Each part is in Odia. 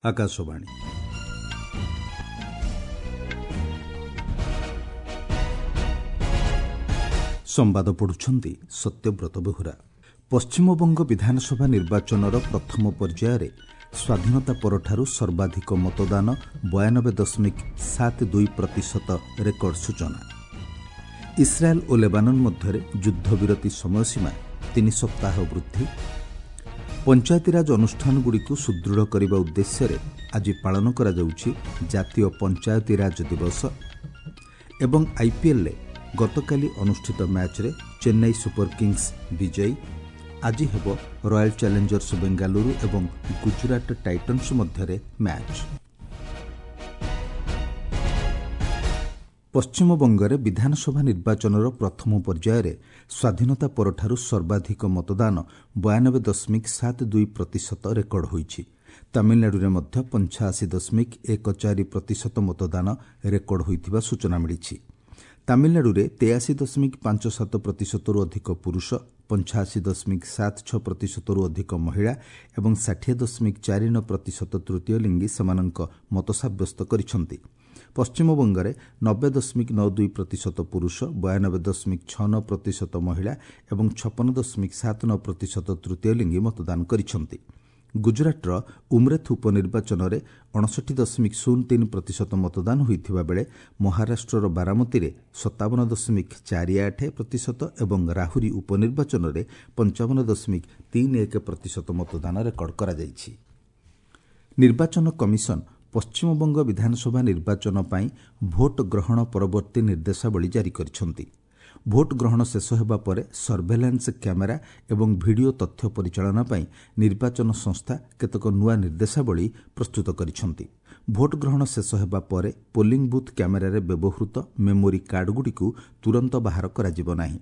ଆକାଶବାଣୀ। ସମ୍ବାଦ ପଢୁଛନ୍ତି ସତ୍ୟବ୍ରତ ବେହୁରା। ପଶ୍ଚିମବଙ୍ଗ ବିଧାନସଭା ନିର୍ବାଚନର ପ୍ରଥମ ପର୍ଯ୍ୟାୟରେ ସ୍ୱାଧୀନତା ପରଠାରୁ ସର୍ବାଧିକ ମତଦାନ 92.72% ରେକର୍ଡ ସୂଚନା। ଇସ୍ରାଏଲ୍ ଓ ଲେବାନନ ମଧ୍ୟରେ ଯୁଦ୍ଧବିରତି ସମୟସୀମା 3 ସପ୍ତାହ ବୃଦ୍ଧି। ପଞ୍ଚାୟତିରାଜ ଅନୁଷ୍ଠାନଗୁଡ଼ିକୁ ସୁଦୃଢ଼ କରିବା ଉଦ୍ଦେଶ୍ୟରେ ଆଜି ପାଳନ କରାଯାଉଛି ଜାତୀୟ ପଞ୍ଚାୟତିରାଜ ଦିବସ। ଏବଂ ଆଇପିଏଲ୍ରେ ଗତକାଲି ଅନୁଷ୍ଠିତ ମ୍ୟାଚ୍ରେ ଚେନ୍ନାଇ ସୁପର କିଙ୍ଗସ୍ ବିଜୟୀ। ଆଜି ହେବ ରୟାଲ୍ ଚ୍ୟାଲେଞ୍ଜର୍ସ ବେଙ୍ଗାଲୁରୁ ଏବଂ ଗୁଜରାଟ ଟାଇଟନ୍ସ ମଧ୍ୟରେ ମ୍ୟାଚ୍। ପଶ୍ଚିମବଙ୍ଗରେ ବିଧାନସଭା ନିର୍ବାଚନର ପ୍ରଥମ ପର୍ଯ୍ୟାୟରେ ସ୍ୱାଧୀନତା ପରଠାରୁ ସର୍ବାଧିକ ମତଦାନ 92.72% ରେକର୍ଡ ହୋଇଛି। ତାମିଲନାଡୁରେ ମଧ୍ୟ 85.14% ମତଦାନ ରେକର୍ଡ ହୋଇଥିବା ସୂଚନା ମିଳିଛି। ତାମିଲନାଡୁରେ 83.57%ରୁ ଅଧିକ ପୁରୁଷ, 85.76%ରୁ ଅଧିକ ମହିଳା ଏବଂ 60.49% ତୃତୀୟ ଲିଙ୍ଗୀ ସେମାନଙ୍କ ମତ ସାବ୍ୟସ୍ତ କରିଛନ୍ତି। ପଶ୍ଚିମବଙ୍ଗରେ 90.92% ପୁରୁଷ, 92.69% ମହିଳା ଏବଂ 56.79% ତୃତୀୟ ଲିଙ୍ଗୀ ମତଦାନ କରିଛନ୍ତି। ଗୁଜରାଟର ଉମ୍ରେଥ ଉପନିର୍ବାଚନରେ 59.03% ମତଦାନ ହୋଇଥିବା ବେଳେ ମହାରାଷ୍ଟ୍ରର ବାରାମତୀରେ 57.48% ଏବଂ ରାହୁରୀ ଉପନିର୍ବାଚନରେ 55.31% ମତଦାନ ରେକର୍ଡ କରାଯାଇଛି। ନିର୍ବାଚନ କମିଶନ ପଶ୍ଚିମବଙ୍ଗ ବିଧାନସଭା ନିର୍ବାଚନ ପାଇଁ ଭୋଟ ଗ୍ରହଣ ପରବର୍ତ୍ତୀ ନିର୍ଦ୍ଦେଶାବଳୀ ଜାରି କରିଛନ୍ତି। ଭୋଟ ଗ୍ରହଣ ଶେଷ ହେବା ପରେ ସର୍ଭେଲାନ୍ସ କ୍ୟାମେରା ଏବଂ ଭିଡିଓ ତଥ୍ୟ ପରିଚାଳନା ପାଇଁ ନିର୍ବାଚନ ସଂସ୍ଥା କେତେକ ନୂଆ ନିର୍ଦ୍ଦେଶାବଳୀ ପ୍ରସ୍ତୁତ କରିଛନ୍ତି। ଭୋଟ ଗ୍ରହଣ ଶେଷ ହେବା ପରେ ପୋଲିଂ ବୁଥ୍ କ୍ୟାମେରାରେ ବ୍ୟବହୃତ ମେମୋରି କାର୍ଡଗୁଡ଼ିକୁ ତୁରନ୍ତ ବାହାର କରାଯିବ ନାହିଁ।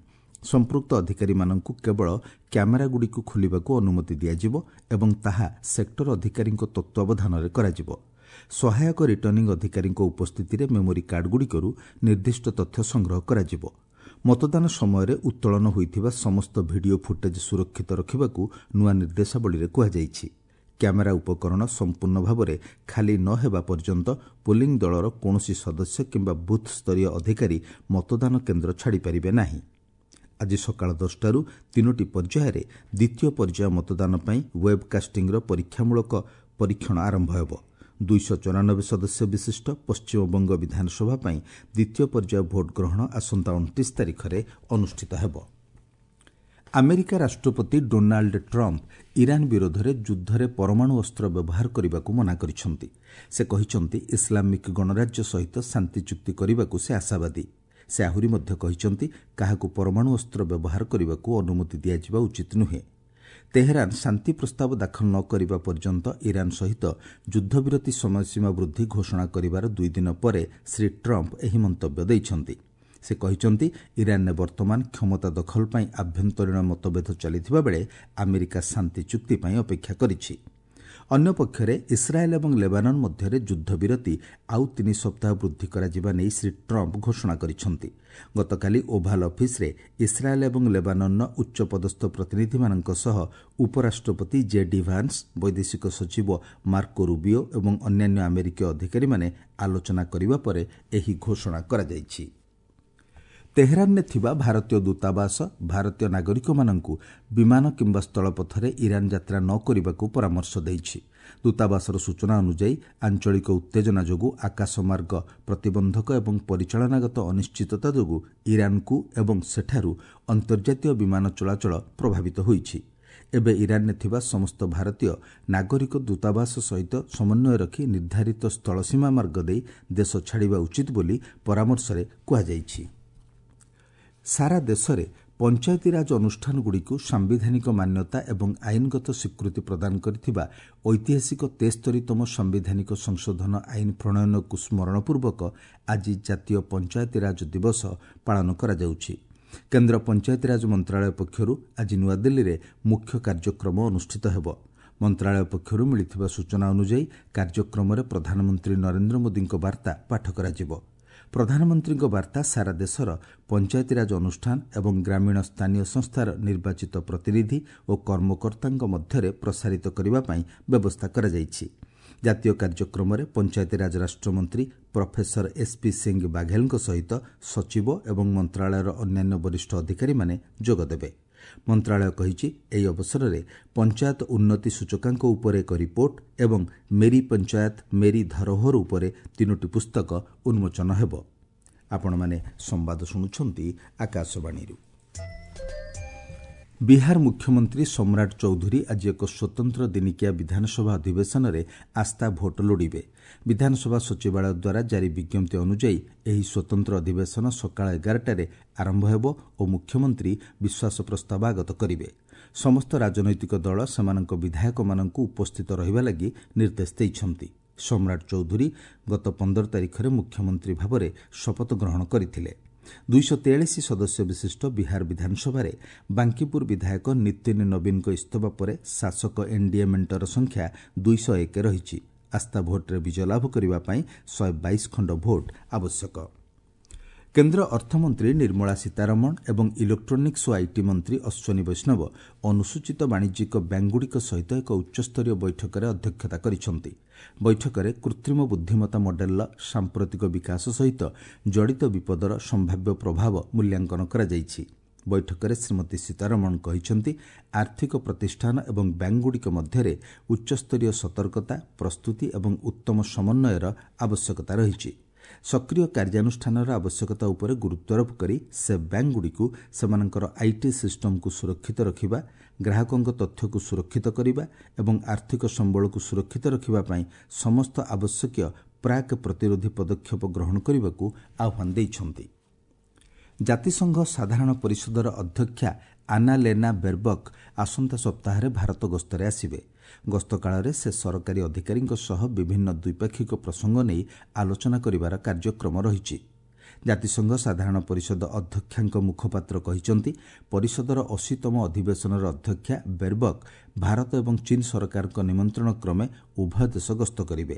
ସମ୍ପୃକ୍ତ ଅଧିକାରୀମାନଙ୍କୁ କେବଳ କ୍ୟାମେରାଗୁଡ଼ିକୁ ଖୋଲିବାକୁ ଅନୁମତି ଦିଆଯିବ ଏବଂ ତାହା ସେକ୍ଟର ଅଧିକାରୀଙ୍କ ତତ୍ତ୍ୱାବଧାନରେ କରାଯିବ। ସହାୟକ ରିଟର୍ଣ୍ଣିଂ ଅଧିକାରୀଙ୍କ ଉପସ୍ଥିତିରେ ମେମୋରି କାର୍ଡଗୁଡ଼ିକରୁ ନିର୍ଦ୍ଦିଷ୍ଟ ତଥ୍ୟ ସଂଗ୍ରହ କରାଯିବ। ମତଦାନ ସମୟରେ ଉତ୍ତୋଳନ ହୋଇଥିବା ସମସ୍ତ ଭିଡିଓ ଫୁଟେଜ୍ ସୁରକ୍ଷିତ ରଖିବାକୁ ନୂଆ ନିର୍ଦ୍ଦେଶାବଳୀରେ କୁହାଯାଇଛି। କ୍ୟାମେରା ଉପକରଣ ସମ୍ପୂର୍ଣ୍ଣ ଭାବରେ ଖାଲି ନ ହେବା ପର୍ଯ୍ୟନ୍ତ ପୋଲିଂ ଦଳର କୌଣସି ସଦସ୍ୟ କିମ୍ବା ବୁଥ୍ ସ୍ତରୀୟ ଅଧିକାରୀ ମତଦାନ କେନ୍ଦ୍ର ଛାଡ଼ିପାରିବେ ନାହିଁ। ଆଜି ସକାଳ 10ଟାରୁ ତିନୋଟି ପର୍ଯ୍ୟାୟରେ ଦ୍ୱିତୀୟ ପର୍ଯ୍ୟାୟ ମତଦାନ ପାଇଁ ୱେବ୍କାଷ୍ଟିଂର ପରୀକ୍ଷାମୂଳକ ପରୀକ୍ଷଣ ଆରମ୍ଭ ହେବ। 294 ସଦସ୍ୟ ବିଶିଷ୍ଟ ପଶ୍ଚିମବଙ୍ଗ ବିଧାନସଭା ପାଇଁ ଦ୍ୱିତୀୟ ପର୍ଯ୍ୟାୟ ଭୋଟ ଗ୍ରହଣ ଆସନ୍ତା 29 ତାରିଖରେ ଅନୁଷ୍ଠିତ ହେବ। ଆମେରିକା ରାଷ୍ଟ୍ରପତି ଡୋନାଲ୍ଡ ଟ୍ରମ୍ପ ଇରାନ୍ ବିରୋଧରେ ଯୁଦ୍ଧରେ ପରମାଣୁ ଅସ୍ତ୍ର ବ୍ୟବହାର କରିବାକୁ ମନା କରିଛନ୍ତି। ସେ କହିଛନ୍ତି, ଇସଲାମିକ୍ ଗଣରାଜ୍ୟ ସହିତ ଶାନ୍ତି ଚୁକ୍ତି କରିବାକୁ ସେ ଆଶାବାଦୀ। ସେ ଆହୁରି ମଧ୍ୟ କହିଛନ୍ତି, କାହାକୁ ପରମାଣୁ ଅସ୍ତ୍ର ବ୍ୟବହାର କରିବାକୁ ଅନୁମତି ଦିଆଯିବା ଉଚିତ ନୁହେଁ। ତେହେରାନ ଶାନ୍ତି ପ୍ରସ୍ତାବ ଦାଖଲ ନ କରିବା ପର୍ଯ୍ୟନ୍ତ ଇରାନ୍ ସହିତ ଯୁଦ୍ଧବିରତି ସମୟସୀମା ବୃଦ୍ଧି ଘୋଷଣା କରିବାର 2 ଦିନ ପରେ ଶ୍ରୀ ଟ୍ରମ୍ପ ଏହି ମନ୍ତବ୍ୟ ଦେଇଛନ୍ତି। ସେ କହିଛନ୍ତି, ଇରାନ୍ରେ ବର୍ତ୍ତମାନ କ୍ଷମତା ଦଖଲ ପାଇଁ ଆଭ୍ୟନ୍ତରୀଣ ମତଭେଦ ଚାଲିଥିବା ବେଳେ ଆମେରିକା ଶାନ୍ତି ଚୁକ୍ତି ପାଇଁ ଅପେକ୍ଷା କରିଛି। ଅନ୍ୟପକ୍ଷରେ ଇସ୍ରାଏଲ୍ ଏବଂ ଲେବାନନ ମଧ୍ୟରେ ଯୁଦ୍ଧବିରତି ଆଉ 3 ସପ୍ତାହ ବୃଦ୍ଧି କରାଯିବା ନେଇ ଶ୍ରୀ ଟ୍ରମ୍ପ ଘୋଷଣା କରିଛନ୍ତି। ଗତକାଲି ଓଭାଲ୍ ଅଫିସରେ ଇସ୍ରାଏଲ୍ ଏବଂ ଲେବାନନର ଉଚ୍ଚପଦସ୍ଥ ପ୍ରତିନିଧିମାନଙ୍କ ସହ ଉପରାଷ୍ଟ୍ରପତି ଜେ ଡି ଭାନ୍ସ, ବୈଦେଶିକ ସଚିବ ମାର୍କୋ ରୁବିଓ ଏବଂ ଅନ୍ୟାନ୍ୟ ଆମେରିକୀୟ ଅଧିକାରୀମାନେ ଆଲୋଚନା କରିବା ପରେ ଏହି ଘୋଷଣା କରାଯାଇଛି। ତେହେରାନରେ ଥିବା ଭାରତୀୟ ଦୂତାବାସ ଭାରତୀୟ ନାଗରିକମାନଙ୍କୁ ବିମାନ କିମ୍ବା ସ୍ଥଳପଥରେ ଇରାନ୍ ଯାତ୍ରା ନ କରିବାକୁ ପରାମର୍ଶ ଦେଇଛି। ଦୂତାବାସର ସୂଚନା ଅନୁଯାୟୀ, ଆଞ୍ଚଳିକ ଉତ୍ତେଜନା ଯୋଗୁଁ ଆକାଶମାର୍ଗ ପ୍ରତିବନ୍ଧକ ଏବଂ ପରିଚାଳନାଗତ ଅନିଶ୍ଚିତତା ଯୋଗୁଁ ଇରାନ୍କୁ ଏବଂ ସେଠାରୁ ଅନ୍ତର୍ଜାତୀୟ ବିମାନ ଚଳାଚଳ ପ୍ରଭାବିତ ହୋଇଛି। ଏବେ ଇରାନ୍ରେ ଥିବା ସମସ୍ତ ଭାରତୀୟ ନାଗରିକ ଦୂତାବାସ ସହିତ ସମନ୍ୱୟ ରଖି ନିର୍ଦ୍ଧାରିତ ସ୍ଥଳସୀମା ମାର୍ଗ ଦେଇ ଦେଶ ଛାଡ଼ିବା ଉଚିତ ବୋଲି ପରାମର୍ଶରେ କୁହାଯାଇଛି। ସାରା ଦେଶରେ ପଞ୍ଚାୟତିରାଜ ଅନୁଷ୍ଠାନଗୁଡ଼ିକୁ ସାମ୍ବିଧାନିକ ମାନ୍ୟତା ଏବଂ ଆଇନଗତ ସ୍ୱୀକୃତି ପ୍ରଦାନ କରିଥିବା ଐତିହାସିକ 73ତମ ସାମ୍ବିଧାନିକ ସଂଶୋଧନ ଆଇନ ପ୍ରଣୟନକୁ ସ୍ମରଣପୂର୍ବକ ଆଜି ଜାତୀୟ ପଞ୍ଚାୟତିରାଜ ଦିବସ ପାଳନ କରାଯାଉଛି। କେନ୍ଦ୍ର ପଞ୍ଚାୟତିରାଜ ମନ୍ତ୍ରଣାଳୟ ପକ୍ଷରୁ ଆଜି ନୂଆଦିଲ୍ଲୀରେ ମୁଖ୍ୟ କାର୍ଯ୍ୟକ୍ରମ ଅନୁଷ୍ଠିତ ହେବ। ମନ୍ତ୍ରଣାଳୟ ପକ୍ଷରୁ ମିଳିଥିବା ସୂଚନା ଅନୁଯାୟୀ, କାର୍ଯ୍ୟକ୍ରମରେ ପ୍ରଧାନମନ୍ତ୍ରୀ ନରେନ୍ଦ୍ର ମୋଦିଙ୍କ ବାର୍ତ୍ତା ପାଠ କରାଯିବ। ପ୍ରଧାନମନ୍ତ୍ରୀଙ୍କ ବାର୍ତ୍ତା ସାରା ଦେଶର ପଞ୍ଚାୟତିରାଜ ଅନୁଷ୍ଠାନ ଏବଂ ଗ୍ରାମୀଣ ସ୍ଥାନୀୟ ସଂସ୍ଥାର ନିର୍ବାଚିତ ପ୍ରତିନିଧି ଓ କର୍ମକର୍ତ୍ତାଙ୍କ ମଧ୍ୟରେ ପ୍ରସାରିତ କରିବା ପାଇଁ ବ୍ୟବସ୍ଥା କରାଯାଇଛି। ଜାତୀୟ କାର୍ଯ୍ୟକ୍ରମରେ ପଞ୍ଚାୟତିରାଜ ରାଷ୍ଟ୍ରମନ୍ତ୍ରୀ ପ୍ରଫେସର ଏସ୍ପି ସିଂ ବାଘେଲଙ୍କ ସହିତ ସଚିବ ଏବଂ ମନ୍ତ୍ରଣାଳୟର ଅନ୍ୟାନ୍ୟ ବରିଷ୍ଠ ଅଧିକାରୀମାନେ ଯୋଗଦେବେ। ମନ୍ତ୍ରଣାଳୟ କହିଛି, ଏହି ଅବସରରେ ପଞ୍ଚାୟତ ଉନ୍ନତି ସୂଚକାଙ୍କ ଉପରେ ଏକ ରିପୋର୍ଟ ଏବଂ ମେରି ପଞ୍ଚାୟତ ମେରି ଧରୋହର ଉପରେ 3ଟି ପୁସ୍ତକ ଉନ୍ମୋଚନ ହେବ। ଆପଣମାନେ ସମ୍ବାଦ ଶୁଣୁଛନ୍ତି ଆକାଶବାଣୀରୁ। ବିହାର ମୁଖ୍ୟମନ୍ତ୍ରୀ ସମ୍ରାଟ ଚୌଧୁରୀ ଆଜି ଏକ ସ୍ୱତନ୍ତ୍ର ଦିନିକିଆ ବିଧାନସଭା ଅଧିବେଶନରେ ଆସ୍ଥା ଭୋଟ ଲୋଡ଼ିବେ। ବିଧାନସଭା ସଚିବାଳୟ ଦ୍ୱାରା ଜାରି ବିଜ୍ଞପ୍ତି ଅନୁଯାୟୀ ଏହି ସ୍ୱତନ୍ତ୍ର ଅଧିବେଶନ ସକାଳ 11ଟାରେ ଆରମ୍ଭ ହେବ ଓ ମୁଖ୍ୟମନ୍ତ୍ରୀ ବିଶ୍ୱାସ ପ୍ରସ୍ତାବ ଆଗତ କରିବେ। ସମସ୍ତ ରାଜନୈତିକ ଦଳ ସେମାନଙ୍କ ବିଧାୟକମାନଙ୍କୁ ଉପସ୍ଥିତ ରହିବା ଲାଗି ନିର୍ଦ୍ଦେଶ ଦେଇଛନ୍ତି। ସମ୍ରାଟ ଚୌଧୁରୀ ଗତ 15 ତାରିଖରେ ମୁଖ୍ୟମନ୍ତ୍ରୀ ଭାବରେ ଶପଥ ଗ୍ରହଣ କରିଥିଲେ। 243 ସଦସ୍ୟ ବିଶିଷ୍ଟ ବିହାର ବିଧାନସଭାରେ ବାଙ୍କିପୁର ବିଧାୟକ ନୀତିନ ନବୀନଙ୍କ ଇସ୍ତଫା ପରେ ଶାସକ ଏନ୍ଡିଏ ମେଣ୍ଟର ସଂଖ୍ୟା 201 ରହିଛି। ଆସ୍ଥା ଭୋଟ୍ରେ ବିଜୟ ଲାଭ କରିବା ପାଇଁ 122 ଖଣ୍ଡ ଭୋଟ୍ ଆବଶ୍ୟକ। କେନ୍ଦ୍ର ଅର୍ଥମନ୍ତ୍ରୀ ନିର୍ମଳା ସୀତାରମଣ ଏବଂ ଇଲେକ୍ଟ୍ରୋନିକ୍ସ ଓ IT ମନ୍ତ୍ରୀ ଅଶ୍ୱିନୀ ବୈଷ୍ଣବ ଅନୁସୂଚିତ ବାଣିଜ୍ୟିକ ବ୍ୟାଙ୍କଗୁଡ଼ିକ ସହିତ ଏକ ଉଚ୍ଚସ୍ତରୀୟ ବୈଠକରେ ଅଧ୍ୟକ୍ଷତା କରିଛନ୍ତି। ବୈଠକରେ କୃତ୍ରିମ ବୁଦ୍ଧିମତ୍ତା ମଡେଲର ସାମ୍ପ୍ରତିକ ବିକାଶ ସହିତ ଜଡ଼ିତ ବିପଦର ସମ୍ଭାବ୍ୟ ପ୍ରଭାବ ମୂଲ୍ୟାଙ୍କନ କରାଯାଇଛି। ବୈଠକରେ ଶ୍ରୀମତୀ ସୀତାରମଣ କହିଛନ୍ତି, ଆର୍ଥିକ ପ୍ରତିଷ୍ଠାନ ଏବଂ ବ୍ୟାଙ୍କଗୁଡ଼ିକ ମଧ୍ୟରେ ଉଚ୍ଚସ୍ତରୀୟ ସତର୍କତା, ପ୍ରସ୍ତୁତି ଏବଂ ଉତ୍ତମ ସମନ୍ୱୟର ଆବଶ୍ୟକତା ରହିଛି। ସକ୍ରିୟ କାର୍ଯ୍ୟାନୁଷ୍ଠାନର ଆବଶ୍ୟକତା ଉପରେ ଗୁରୁତ୍ୱାରୋପ କରି ସେ ବ୍ୟାଙ୍କଗୁଡ଼ିକୁ ସେମାନଙ୍କର IT ସିଷ୍ଟମକୁ ସୁରକ୍ଷିତ ରଖିବା, ଗ୍ରାହକଙ୍କ ତଥ୍ୟକୁ ସୁରକ୍ଷିତ କରିବା ଏବଂ ଆର୍ଥିକ ସମ୍ବଳକୁ ସୁରକ୍ଷିତ ରଖିବା ପାଇଁ ସମସ୍ତ ଆବଶ୍ୟକୀୟ ପ୍ରାକ୍ ପ୍ରତିରୋଧୀ ପଦକ୍ଷେପ ଗ୍ରହଣ କରିବାକୁ ଆହ୍ୱାନ ଦେଇଛନ୍ତି। ଜାତିସଂଘ ସାଧାରଣ ପରିଷଦର ଅଧ୍ୟକ୍ଷା ଆନାଲେନା ବେର୍ବକ୍ ଆସନ୍ତା ସପ୍ତାହରେ ଭାରତ ଗସ୍ତରେ ଆସିବେ। ଗସ୍ତ କାଳରେ ସେ ସରକାରୀ ଅଧିକାରୀଙ୍କ ସହ ବିଭିନ୍ନ ଦ୍ୱିପାକ୍ଷିକ ପ୍ରସଙ୍ଗ ନେଇ ଆଲୋଚନା କରିବାର କାର୍ଯ୍ୟକ୍ରମ ରହିଛି। ଜାତିସଂଘ ସାଧାରଣ ପରିଷଦ ଅଧ୍ୟକ୍ଷାଙ୍କ ମୁଖପାତ୍ର କହିଛନ୍ତି, ପରିଷଦର 80ତମ ଅଧିବେଶନର ଅଧ୍ୟକ୍ଷା ବେର୍ବକ୍ ଭାରତ ଏବଂ ଚୀନ୍ ସରକାରଙ୍କ ନିମନ୍ତ୍ରଣ କ୍ରମେ ଉଭୟ ଦେଶ ଗସ୍ତ କରିବେ।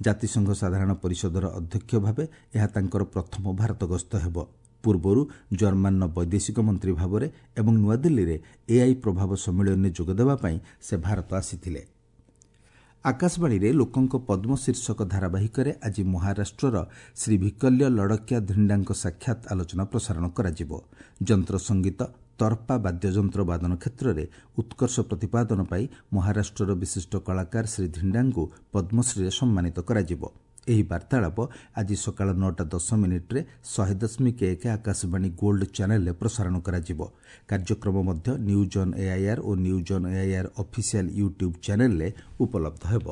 ଜାତିସଂଘ ସାଧାରଣ ପରିଷଦର ଅଧ୍ୟକ୍ଷ ଭାବେ ଏହା ତାଙ୍କର ପ୍ରଥମ ଭାରତ ଗସ୍ତ ହେବ। ପୂର୍ବରୁ ଜର୍ମାନର ବୈଦେଶିକ ମନ୍ତ୍ରୀ ଭାବରେ ଏବଂ ନୂଆଦିଲ୍ଲୀରେ ଏଆଇ ପ୍ରଭାବ ସମ୍ମିଳନୀରେ ଯୋଗଦେବା ପାଇଁ ସେ ଭାରତ ଆସିଥିଲେ। ଆକାଶବାଣୀରେ ଲୋକଙ୍କ ପଦ୍ମ ଶୀର୍ଷକ ଧାରାବାହିକରେ ଆଜି ମହାରାଷ୍ଟ୍ରର ଶ୍ରୀ ଭିକଲ୍ୟ ଲଡ଼କିଆ ଧିଣ୍ଡାଙ୍କ ସାକ୍ଷାତ ଆଲୋଚନା ପ୍ରସାରଣ କରାଯିବ। ଯନ୍ତ୍ର ସଙ୍ଗୀତ, ତର୍ପା ବାଦ୍ୟଯନ୍ତ୍ର ବାଦନ କ୍ଷେତ୍ରରେ ଉତ୍କର୍ଷ ପ୍ରତିପାଦନ ପାଇଁ ମହାରାଷ୍ଟ୍ରର ବିଶିଷ୍ଟ କଳାକାର ଶ୍ରୀ ଧିଣ୍ଡାଙ୍କୁ ପଦ୍ମଶ୍ରୀରେ ସମ୍ମାନିତ କରାଯିବ। ଏହି ବାର୍ତ୍ତାଳାପ ଆଜି ସକାଳ 9ଟା 10 ମିନିଟ୍ରେ 100.1 ଆକାଶବାଣୀ ଗୋଲ୍ଡ ଚ୍ୟାନେଲରେ ପ୍ରସାରଣ କରାଯିବ। କାର୍ଯ୍ୟକ୍ରମ ମଧ୍ୟ news on AIR O news on AIR official YouTube ଚ୍ୟାନେଲରେ ଉପଲବ୍ଧ ହେବ।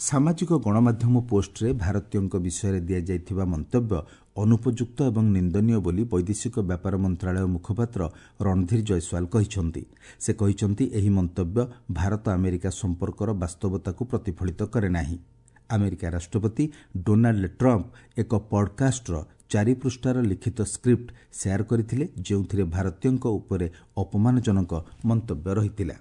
ସାମାଜିକ ଗଣମାଧ୍ୟମ ପୋଷ୍ଟରେ ଭାରତୀୟଙ୍କ ବିଷୟରେ ଦିଆଯାଇଥିବା ମନ୍ତବ୍ୟ ଅନୁପଯୁକ୍ତ ଏବଂ ନିନ୍ଦନୀୟ ବୋଲି ବୈଦେଶିକ ବ୍ୟାପାର ମନ୍ତ୍ରଣାଳୟ ମୁଖପାତ୍ର ରଣଧୀର ଜୟସ୍ୱାଲ କହିଛନ୍ତି। ସେ କହିଛନ୍ତି, ଏହି ମନ୍ତବ୍ୟ ଭାରତ ଆମେରିକା ସମ୍ପର୍କର ବାସ୍ତବତାକୁ ପ୍ରତିଫଳିତ କରେ ନାହିଁ। ଆମେରିକା ରାଷ୍ଟ୍ରପତି ଡୋନାଲ୍ଡ ଟ୍ରମ୍ପ ଏକ ପଡ୍କାଷ୍ଟର 4 ପୃଷ୍ଠାର ଲିଖିତ ସ୍କ୍ରିପ୍ଟ ସେୟାର କରିଥିଲେ, ଯେଉଁଥିରେ ଭାରତୀୟଙ୍କ ଉପରେ ଅପମାନଜନକ ମନ୍ତବ୍ୟ ରହିଥିଲା।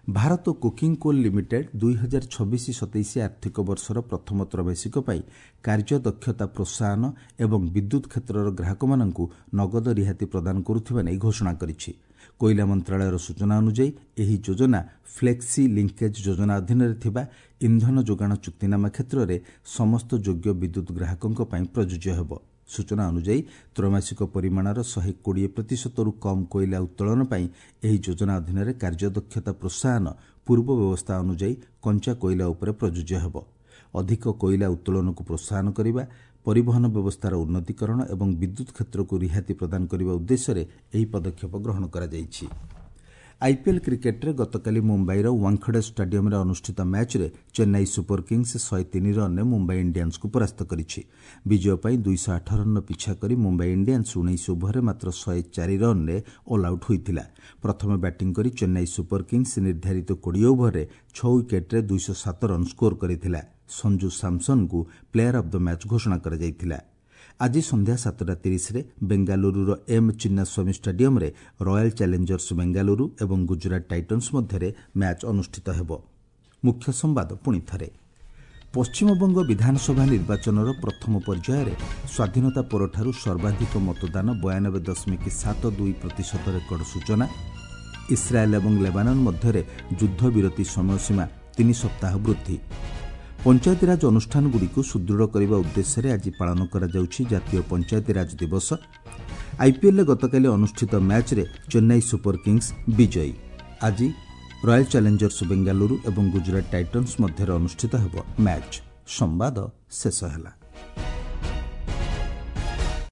ଭାରତ କୋକିଂ କୋଲ୍ ଲିମିଟେଡ୍ 2026-27 ଆର୍ଥିକ ବର୍ଷର ପ୍ରଥମ ତ୍ରୈମାସିକ ପାଇଁ କାର୍ଯ୍ୟଦକ୍ଷତା ପ୍ରୋତ୍ସାହନ ଏବଂ ବିଦ୍ୟୁତ୍ କ୍ଷେତ୍ରର ଗ୍ରାହକମାନଙ୍କୁ ନଗଦ ରିହାତି ପ୍ରଦାନ କରୁଥିବା ନେଇ ଘୋଷଣା କରିଛି। କୋଇଲା ମନ୍ତ୍ରଣାଳୟର ସୂଚନା ଅନୁଯାୟୀ ଏହି ଯୋଜନା ଫ୍ଲେକ୍ସି ଲିଙ୍କେଜ୍ ଯୋଜନା ଅଧୀନରେ ଥିବା ଇନ୍ଧନ ଯୋଗାଣ ଚୁକ୍ତିନାମା କ୍ଷେତ୍ରରେ ସମସ୍ତ ଯୋଗ୍ୟ ବିଦ୍ୟୁତ୍ ଗ୍ରାହକଙ୍କ ପାଇଁ ପ୍ରଯୁଜ୍ୟ ହେବ। ସୂଚନା ଅନୁଯାୟୀ ତ୍ରୈମାସିକ ପରିମାଣର 120 ପ୍ରତିଶତରୁ କମ୍ କୋଇଲା ଉତ୍ତୋଳନ ପାଇଁ ଏହି ଯୋଜନା ଅଧୀନରେ କାର୍ଯ୍ୟଦକ୍ଷତା ପ୍ରୋତ୍ସାହନ ପୂର୍ବ ବ୍ୟବସ୍ଥା ଅନୁଯାୟୀ କଞ୍ଚା କୋଇଲା ଉପରେ ପ୍ରଯୁଜ୍ୟ ହେବ। ଅଧିକ କୋଇଲା ଉତ୍ତୋଳନକୁ ପ୍ରୋତ୍ସାହନ କରିବା, ପରିବହନ ବ୍ୟବସ୍ଥାର ଉନ୍ନତିକରଣ ଏବଂ ବିଦ୍ୟୁତ୍ କ୍ଷେତ୍ରକୁ ରିହାତି ପ୍ରଦାନ କରିବା ଉଦ୍ଦେଶ୍ୟରେ ଏହି ପଦକ୍ଷେପ ଗ୍ରହଣ କରାଯାଇଛି। ଆଇପିଏଲ୍ କ୍ରିକେଟ୍ରେ ଗତକାଲି ମୁମ୍ବାଇର ୱାଙ୍ଖଡେ ଷ୍ଟାଡିୟମ୍ରେ ଅନୁଷ୍ଠିତ ମ୍ୟାଚ୍ରେ ଚେନ୍ନାଇ ସୁପର କିଙ୍ଗସ୍ 103 ରନ୍ରେ ମୁମ୍ବାଇ ଇଣ୍ଡିଆନ୍ସକୁ ପରାସ୍ତ କରିଛି। ବିଜୟ ପାଇଁ 208 ରନ୍ର ପିଛା କରି ମୁମ୍ବାଇ ଇଣ୍ଡିଆନ୍ସ 19 ଓଭରରେ ମାତ୍ର 104 ରନ୍ରେ ଅଲ୍ଆଉଟ୍ ହୋଇଥିଲା। ପ୍ରଥମେ ବ୍ୟାଟିଂ କରି ଚେନ୍ନାଇ ସୁପର କିଙ୍ଗସ୍ ନିର୍ଦ୍ଧାରିତ 20 ଓଭରରେ 6 ୱିକେଟ୍ରେ 207 ରନ୍ ସ୍କୋର କରିଥିଲା। ସଞ୍ଜୁ ସାମ୍ସନ୍ଙ୍କୁ ପ୍ଲେୟାର ଅଫ୍ the match ଘୋଷଣା କରାଯାଇଥିଲା। ଆଜି ସନ୍ଧ୍ୟା 7ଟା 30ରେ ବେଙ୍ଗାଲୁରୁର ଏମ୍ ଚିନ୍ନାସ୍ୱାମୀ ଷ୍ଟାଡିୟମ୍ରେ ରୟାଲ୍ ଚ୍ୟାଲେଞ୍ଜର୍ସ ବେଙ୍ଗାଲୁରୁ ଏବଂ ଗୁଜରାଟ ଟାଇଟନ୍ସ ମଧ୍ୟରେ ମ୍ୟାଚ୍ ଅନୁଷ୍ଠିତ ହେବ। ମୁଖ୍ୟ ସମ୍ବାଦ ପୁଣି ଥରେ। ପଶ୍ଚିମବଙ୍ଗ ବିଧାନସଭା ନିର୍ବାଚନର ପ୍ରଥମ ପର୍ଯ୍ୟାୟରେ ସ୍ୱାଧୀନତା ପରଠାରୁ ସର୍ବାଧିକ ମତଦାନ, 92.72% ରେକର୍ଡ ସୂଚନା। ଇସ୍ରାଏଲ୍ ଏବଂ ଲେବାନନ୍ ମଧ୍ୟରେ ଯୁଦ୍ଧବିରତି ସମୟସୀମା 3 ସପ୍ତାହ ବୃଦ୍ଧି। ପଞ୍ଚାୟତିରାଜ ଅନୁଷ୍ଠାନଗୁଡ଼ିକୁ ସୁଦୃଢ଼ କରିବା ଉଦ୍ଦେଶ୍ୟରେ ଆଜି ପାଳନ କରାଯାଉଛି ଜାତୀୟ ପଞ୍ଚାୟତିରାଜ ଦିବସ। ଆଇପିଏଲ୍ରେ ଗତକାଲି ଅନୁଷ୍ଠିତ ମ୍ୟାଚ୍ରେ ଚେନ୍ନାଇ ସୁପର କିଙ୍ଗସ୍ ବିଜୟୀ। ଆଜି ରୟାଲ ଚ୍ୟାଲେଞ୍ଜର୍ସ ବେଙ୍ଗାଲୁରୁ ଏବଂ ଗୁଜରାଟ ଟାଇଟନ୍ସ ମଧ୍ୟରେ ଅନୁଷ୍ଠିତ ହେବ ମ୍ୟାଚ୍। ସମ୍ବାଦ ଶେଷ ହେଲା।